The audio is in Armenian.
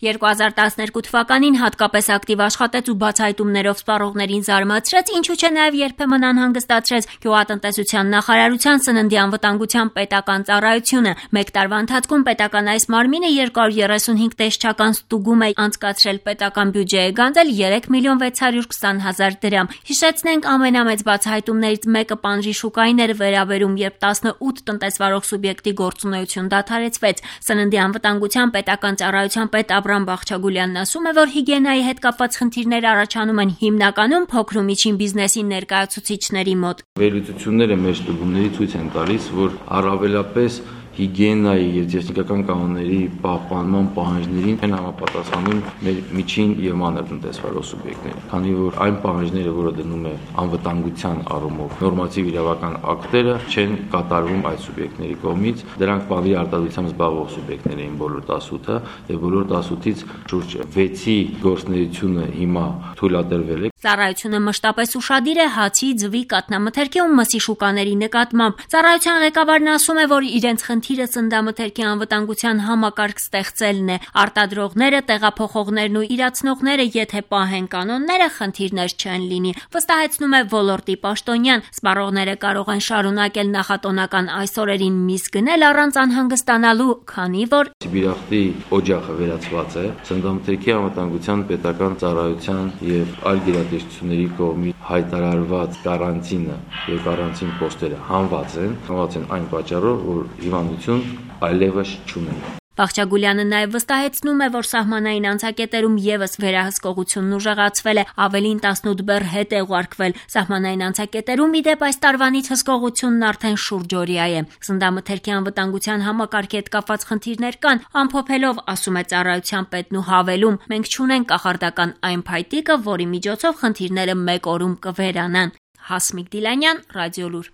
2012 թվականին հատկապես ակտիվ աշխատեց ու բացահայտումներով սպառողներին զարմացրեց, ինչու չէ նաև երբեմն անհանգստացրեց գյուղատնտեսության նախարարության սննդի անվտանգության պետական ծառայությունը։ Մեկ տարվա ընթացքում պետական այս մարմինը 235 տեսչական ստուգում է անցկացրել, պետական բյուջեը գանձել 3.620.000 դրամ։ Հիշեցնենք, ամենամեծ բացահայտումներից մեկը պանրի շուկային էր վերաբերում, երբ 18 տնտեսվարող սուբյեկտի գործունեություն դադարեցվեց։ Սննդի անվտանգության պետական ծառայության պետ Աբրամ Բաղչագուլյանն ասում է, որ հիգիենայի հետ կապված խնդիրներ առաջանում են հիմնականում փոքր ու միջին բիզնեսի ներկայացուցիչների մոտ։ Վերլուծությունները մեր ստուգումների ցույց են տալիս, որ առավելապես հիգիենայի եւ տեխնիկական կանոնների պահպանման պահանջներին են համապատասխանում մեր միջին եւ մանր տնտեսվարող սուբյեկտները, քանի որ այն պահանջները, որը դնում է անվտանգության առումով նորմատիվ իրավական ակտերը, չեն կատարվում այդ սուբյեկտների կողմից։ Դրանք բավարար արտադրությամբ զբաղվող սուբյեկտներ էին բոլոր 18-ը եւ բոլոր 18-ից շուրջ 6-ի գործունեությունը հիմա թույլատրվել է։ Ծառայությունը մշտապես ուշադիր է հացի, ձվի, կաթնամթերքի ու մսի շուկաների նկատմամբ։ Ծառայության ղեկավարն ասում է, որ իրենց խնդիրը սննդամթերքի անվտանգության համակարգ ստեղծելն է։ Արտադրողները, տեղափոխողներն ու իրացնողները, եթե պահեն կանոնները, խնդիրներ չեն լինի, վստահեցնում է ոլորտի պաշտոնյան։ Սպառողները կարող են շարունակել նախատոնական այս օրերին միս գնել առանց անհանգստանալու, քանի որ Սիբիրախտի օջախը վերացված է, սննդամթերքի անվտանգության պետական ծառայության եւ այլ գերատեսչությունների կողմից հայտարարված կարանտինը եւ կարանտին պոստերը հանված են այն պատճառով, որ հիվանդություն այլևս չունեն։ Բաղչագուլյանը նաև վստահեցնում է, որ սահմանային անցակետերում եւս վերահսկողությունն ուժեղացվել է, ավելին 18 բեռ հետ է ուղարկվել։ Սահմանային անցակետերում ի դեպ այս տարվանից հսկողությունն արդեն շուրջօրյա է։ Սննդամթերքի անվտանգության համակարգի հետ կապված խնդիրներ կան, ամփոփելով ասում է ծառայության պետն ու հավելում. մենք չունենք կախարդական այն փայտիկը, որի միջոցով խնդիրները մեկ օրում կվերանան։ Հասմիկ Դիլանյան, Ռադիոլուր։